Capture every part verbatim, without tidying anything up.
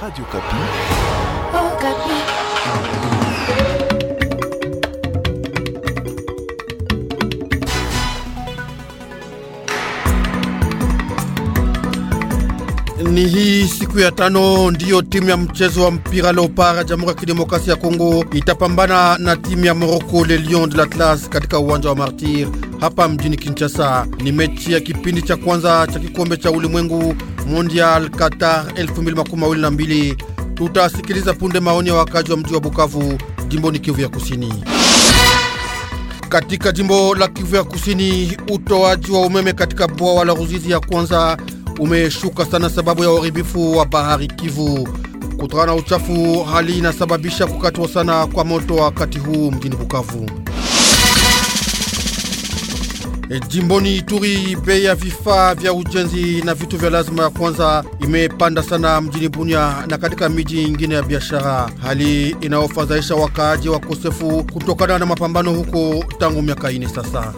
Radio Okapi. Oh, Okapi. Ni hii siku ya tano ndiyo timu ya mchezo wa mpira Leopard ya Jamhuri ya Kidemokrasia ya Kongo itapambana na timu ya Morocco Les Lions de l'Atlas katika uwanja wa Martyr hapa mjini Kinshasa. Ni mechi ya kipindi cha kwanza cha kikombe cha ulimwengu Mondial Qatar elfu mbili makumi mawili na mbili. Tutasikiliza punde maoni ya wakazi wa mji wa Bukavu, jimboni Kivu ya Kusini. Katika jimbo la Kivu ya Kusini, utoaji wa umeme katika bwawa la Ruzizi ya kwanza umeshuka sana sababu ya uharibifu wa bahari Kivu. Kutokana na uchafu, hali inasababisha kukatwa sana kwa moto wakati huu mjini Bukavu. E, jimboni Ituri, bei ya vifaa vya ujenzi na vitu vya lazima ya kwanza imepanda sana mjini Bunia na katika miji ingine ya biashara, hali inayofadhaisha wakaaji wakosefu kutokana na mapambano huko tangu miaka ine sasa.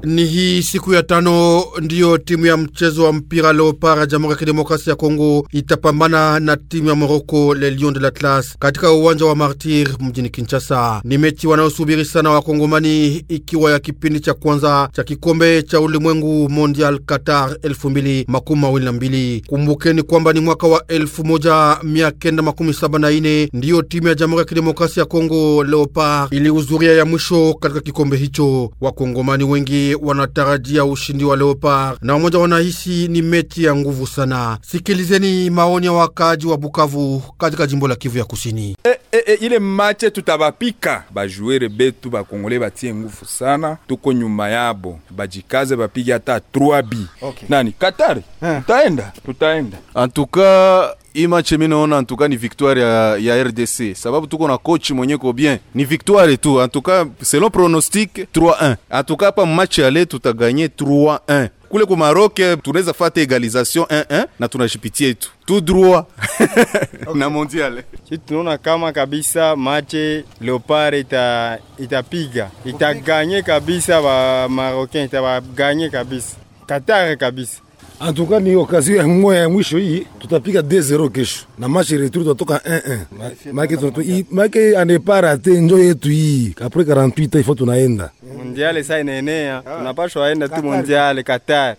Ni hii siku ya tano ndiyo timu ya mchezo wa mpira Leopard ya Jamhuri ya Kidemokrasia ya Kongo itapambana na timu ya Morocco Les Lions de l'Atlas katika uwanja wa Martyr mjini Kinshasa. Ni mechi wanayosubiri sana Wakongomani, ikiwa ya kipindi cha kwanza cha kikombe cha ulimwengu Mondial Qatar elfu mbili makumi mawili na mbili. Kumbukeni kwamba ni mwaka wa elfu moja mia kenda makumi saba na nne ndiyo timu ya Jamhuri ya Kidemokrasia ya Kongo Leopard ilihudhuria ya mwisho katika kikombe hicho. Wakongomani wengi wanatarajia ushindi wa Leopard na wamoja wanahisi ni mechi ya nguvu sana. Sikilizeni maoni ya wakaaji wa Bukavu katika jimbo la Kivu ya Kusini. E, e, e, ile mache tutabapika bajuere betu bakongole batie nguvu sana, tuko nyuma yabo, bajikaze bapige hata trois B. Okay. Nani Qatar? Tutaenda, tutaenda. En tout cas hii match mimi naona en tout cas ni victoire ya, ya R D C, sababu tuko na coach mwenye ko bien, ni victoire tu en tout cas selon pronostic trois un. En tout cas pa match aller tutagagner trois un. Kule kwa Maroc tunaweza fata égalisation un un na tunashipitia tu tout droit. Okay. Na mondial. Sisi tunaona kama kabisa match Leopard ita itapiga, itagagner kabisa ba Marocain, itagagner kabisa. Qatar kabisa. En tout cas ni occasion ya mmoja ya mwisho hii, tutapiga deux zéro kesho. Na match retour tutatoka un un. Maana tunatu maana anepara te njo yetu hii. Après quarante-huit il faut tunaenda. Mondial sasa inaenea, tunapaswa aenda tu Mondial Qatar.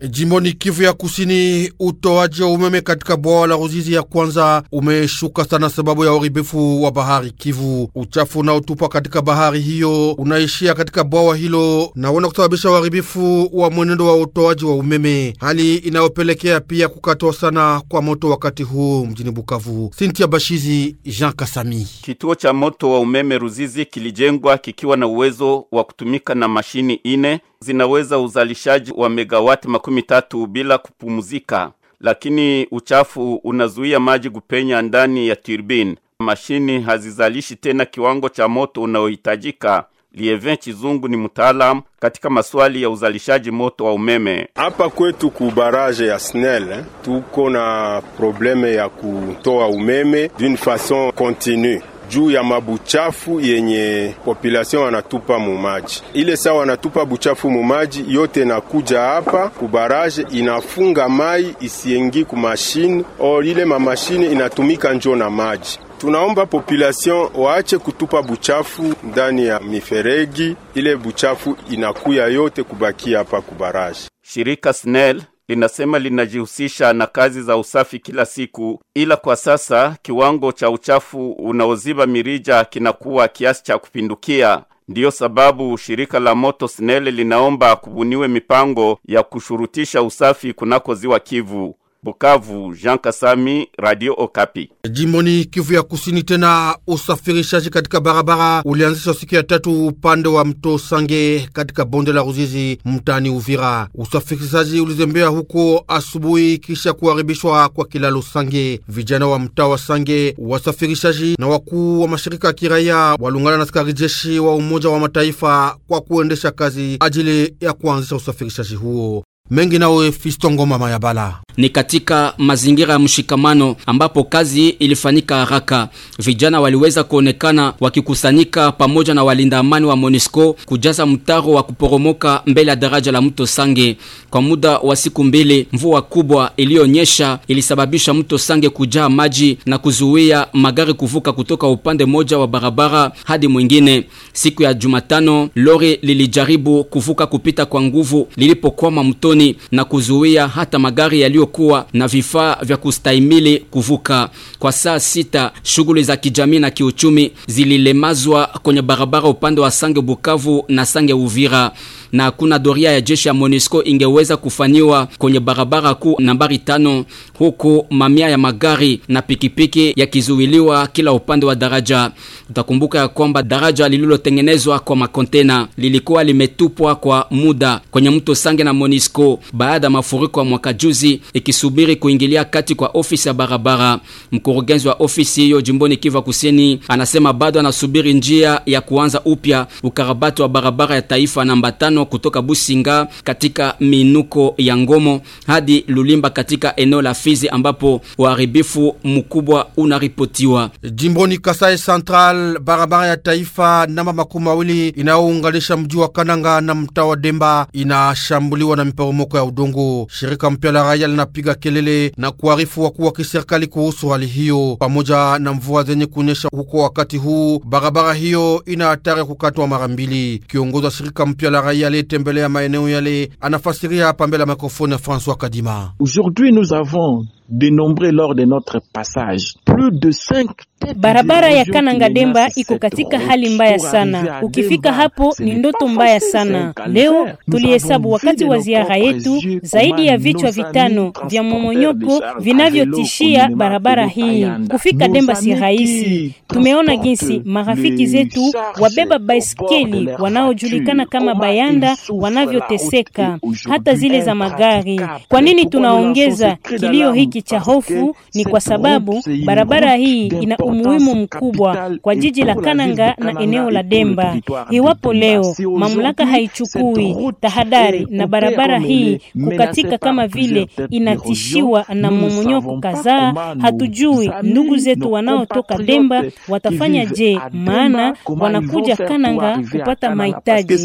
Jimboni Kivu ya Kusini, utoaji wa umeme katika bwawa la Ruzizi ya kwanza umeshuka sana sababu ya uharibifu wa bahari Kivu. Uchafu unaotupwa katika bahari hiyo unaishia katika bwawa hilo na una kusababisha uharibifu wa mwenendo wa utoaji wa umeme, hali inayopelekea pia kukatwa sana kwa moto wakati huu mjini Bukavu. Cynthia Bashizi, Jean Kasami. Kituo cha moto wa umeme Ruzizi kilijengwa kikiwa na uwezo wa kutumika na mashini ine zinaweza uzalishaji wa megawati makumi tatu bila kupumzika, lakini uchafu unazuia maji kupenya ndani ya turbine. Mashini hazizalishi tena kiwango cha moto unaohitajika. Lievin Chizungu ni mtaalamu katika maswali ya uzalishaji moto wa umeme. Hapa kwetu ku barrage ya Snell eh, tuko na probleme ya kutoa umeme d'une façon continue juu ya mabuchafu yenye population wanatupa mumaji. Ile saa wanatupa buchafu mumaji yote nakuja hapa kubaraje, inafunga mai isiengi ku mashine, or ile mamashine inatumika njo na maji. Tunaomba population waache kutupa buchafu ndani ya miferegi, ile buchafu inakuya yote kubakia hapa kubaraje. Shirika Snell linasema linajihusisha na kazi za usafi kila siku, ila kwa sasa kiwango cha uchafu unaoziba mirija kinakuwa kiasi cha kupindukia. Ndiyo sababu shirika la moto Snell linaomba kubuniwe mipango ya kushurutisha usafi kunako ziwa Kivu. Bukavu, Jean Kasami, Radio Okapi. Jimboni Kivu ya Kusini tena, usafirishaji katika barabara ulianzishwa siku ya tatu upande wa mto Sange katika bonde la Ruzizi mtaani Uvira. Usafirishaji ulizembea huko asubuhi kisha kuharibishwa kwa kilalo Sange. Vijana wa mtaa wa Sange, wasafirishaji na wakuu wa mashirika ya kiraia walungana na askari jeshi wa Umoja wa Mataifa kwa kuendesha kazi ajili ya kuanzisha usafirishaji huo. Mengi nawe Fistongo Mama ya Bala. Ni katika mazingira ya mshikamano ambapo kazi ilifanyika haraka. Vijana waliweza kuonekana wakikusanyika pamoja na walinda amani wa MONUSCO kujaza mtaro wa kuporomoka mbele ya daraja la mto Sange. Kwa muda wa siku mbili, mvua kubwa iliyonyesha ilisababisha mto Sange kujaa maji na kuzuia magari kuvuka kutoka upande moja wa barabara hadi mwingine. Siku ya Jumatano, lori lilijaribu kuvuka kupita kwa nguvu lilipokwama mtoni na kuzuia hata magari yaliyokuwa na vifaa vya kustahimili kuvuka. Kwa saa sita, shughuli za kijamii na kiuchumi zililemazwa kwenye barabara upande wa Sange Bukavu na Sange Uvira, na hakuna doria ya jeshi ya MONUSCO ingeweza kufanyiwa kwenye barabara kuu nambari tano, huku mamia ya magari na pikipiki yakizuiliwa kila upande wa daraja. Utakumbuka ya kwamba daraja lililotengenezwa kwa makontena lilikuwa limetupwa kwa muda kwenye mto Sange na MONUSCO baada ya mafuriko ya mwaka juzi, ikisubiri kuingilia kati kwa ofisi ya barabara. Mkurugenzi wa ofisi hiyo jimboni Kivu Kusini anasema bado anasubiri njia ya kuanza upya ukarabati wa barabara ya taifa namba tano kutoka Businga katika minuko ya Ngomo hadi Lulimba katika eneo la Fizi ambapo uharibifu mkubwa unaripotiwa. Jimboni Kasai Central, barabara ya taifa namba makumi mawili inayounganisha mji wa Kananga na mtaa wa Demba inashambuliwa na miporomoko ya udongo. Shirika mpya la raia linapiga kelele na kuarifu wakuu wa kiserikali kuhusu hali hiyo. Pamoja na mvua zenye kunyesha huko wakati huu, barabara hiyo ina hatari kukatwa mara mbili. Kiongozi wa shirika mpya la raia aliyetembelea maeneo yale anafasiria hapa mbele ya mikrofoni ya François Kadima. Aujourd'hui nous avons dénombré lors de notre passage plus de cinq. Barabara ya Kananga Demba iko katika hali mbaya sana. Ukifika hapo ni ndoto mbaya sana. Leo tulihesabu wakati wa ziara yetu zaidi ya vichwa vitano vya momonyoko vinavyotishia barabara hii. Kufika Demba si rahisi. Tumeona jinsi marafiki zetu wabeba baiskeli wanaojulikana kama bayanda wanavyoteseka, hata zile za magari. Kwa nini tunaongeza kilio hiki cha hofu? Ni kwa sababu barabara hii ina umuhimu mkubwa kwa jiji la Kananga na eneo la Demba. Iwapo leo mamlaka haichukui tahadhari na barabara hii kukatika kama vile inatishiwa na momonyoko kadhaa, hatujui ndugu zetu wanaotoka Demba watafanya je, maana wanakuja Kananga kupata mahitaji.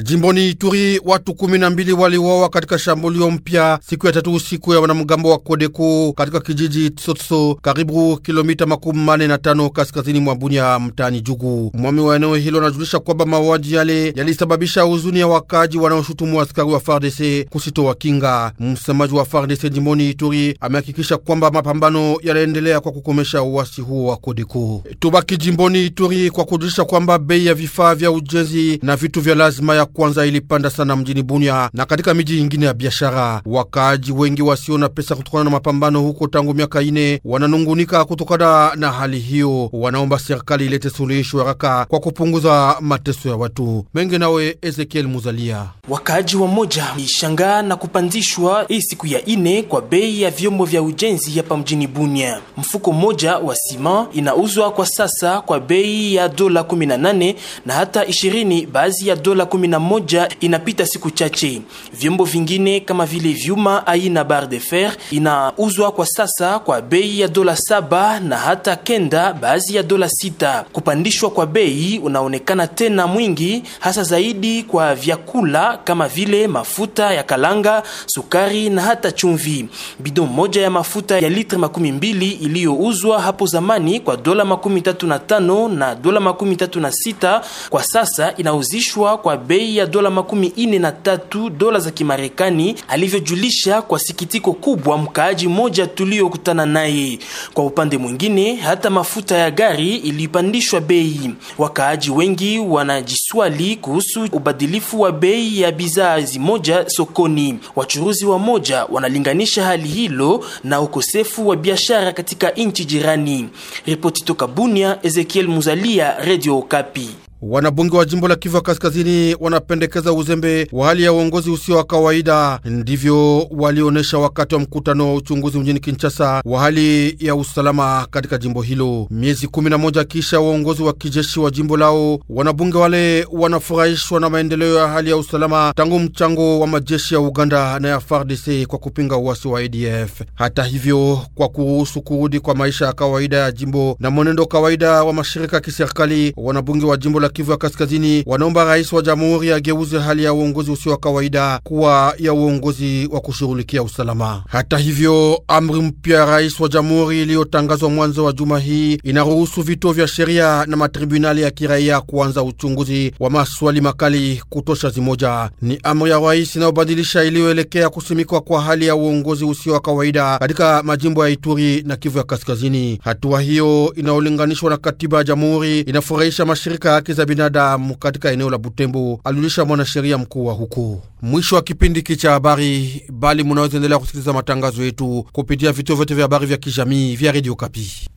Jimboni Ituri, watu kumi na mbili waliuawa katika shambulio mpya siku ya tatu usiku ya wanamgambo wa Kodeko katika kijiji Tsotso, karibu kilomita makumi mane na tano kaskazini mwa Bunia, mtaani Jugu. Mwami wa eneo hilo anajulisha kwamba mauaji yale yalisababisha huzuni ya wakaji wanaoshutumu askari wa F A R D C kusitoa kinga. Msemaji wa F A R D C jimboni Ituri amehakikisha kwamba mapambano yanaendelea kwa kukomesha uasi huo wa Kodeko. Tubaki jimboni Ituri kwa kujulisha kwamba bei ya vifaa vya ujenzi na vitu vya lazima ya kwanza ilipanda sana mjini Bunia na katika miji ingine ya biashara. Wakaaji wengi wasio na pesa kutokana na mapambano huko tangu miaka ine wananungunika kutokana na hali hiyo. Wanaomba serikali ilete suluhisho haraka kwa kupunguza mateso ya watu. Mengi nawe Ezekiel Muzalia. Wakaaji wa moja ishangaa na kupandishwa hii siku ya ine kwa bei ya vyombo vya ujenzi hapa mjini Bunia. Mfuko moja wa sima inauzwa kwa sasa kwa bei ya dola kumi na nane na hata ishirini, baadhi ya dola kumi na moja inapita siku chache. Vyombo vingine kama vile vyuma aina barre de fer inauzwa kwa sasa kwa bei ya dola saba na hata kenda, baadhi ya dola sita. Kupandishwa kwa bei unaonekana tena mwingi, hasa zaidi kwa vyakula kama vile mafuta ya kalanga, sukari na hata chumvi. Bidon moja ya mafuta ya litre makumi mbili iliyouzwa hapo zamani kwa dola makumi tatu na tano na dola makumi tatu na sita kwa sasa inauzishwa kwa bei ya dola makumi ine na tatu dola za Kimarekani, alivyojulisha kwa sikitiko kubwa mkaaji moja tuliokutana naye. Kwa upande mwingine, hata mafuta ya gari ilipandishwa bei. Wakaaji wengi wanajiswali kuhusu ubadilifu wa bei ya bidhaa zimoja sokoni. Wachuruzi wa moja wanalinganisha hali hilo na ukosefu wa biashara katika nchi jirani. Ripoti toka Bunia, Ezekiel Muzalia, Radio Okapi. Wanabunge wa jimbo la Kivu ya Kaskazini wanapendekeza uzembe wa hali ya uongozi usio wa kawaida. Ndivyo walionesha wakati wa mkutano wa uchunguzi mjini Kinshasa wa hali ya usalama katika jimbo hilo. Miezi kumi na moja kisha uongozi wa kijeshi wa jimbo lao, wanabunge wale wanafurahishwa na maendeleo ya hali ya usalama tangu mchango wa majeshi ya Uganda na ya F A R D C kwa kupinga uasi wa A D F. Hata hivyo, kwa kuruhusu kurudi kwa maisha ya kawaida ya jimbo na mwenendo kawaida wa mashirika ya kiserikali, wanabunge wa jimbo la Kivu ya Kaskazini wanaomba rais wa jamhuri ageuze hali ya uongozi usio wa kawaida kuwa ya uongozi wa kushughulikia usalama. Hata hivyo, amri mpya ya rais wa jamhuri iliyotangazwa mwanzo wa juma hii inaruhusu vituo vya sheria na matribunali ya kiraia kuanza uchunguzi wa maswali makali kutosha zimoja. Ni amri ya rais inayobadilisha iliyoelekea kusimikwa kwa hali ya uongozi usio wa kawaida katika majimbo ya Ituri na Kivu ya Kaskazini. Hatua hiyo inayolinganishwa na katiba ya jamhuri inafurahisha mashirika ya haki za binadamu katika eneo la Butembo, aliulisha mwanasheria mkuu wa huko. Mwisho wa kipindi cha habari, bali munaweza endelea kusikiliza matangazo yetu kupitia vituo vyote vya habari vya kijamii vya Radio Kapi.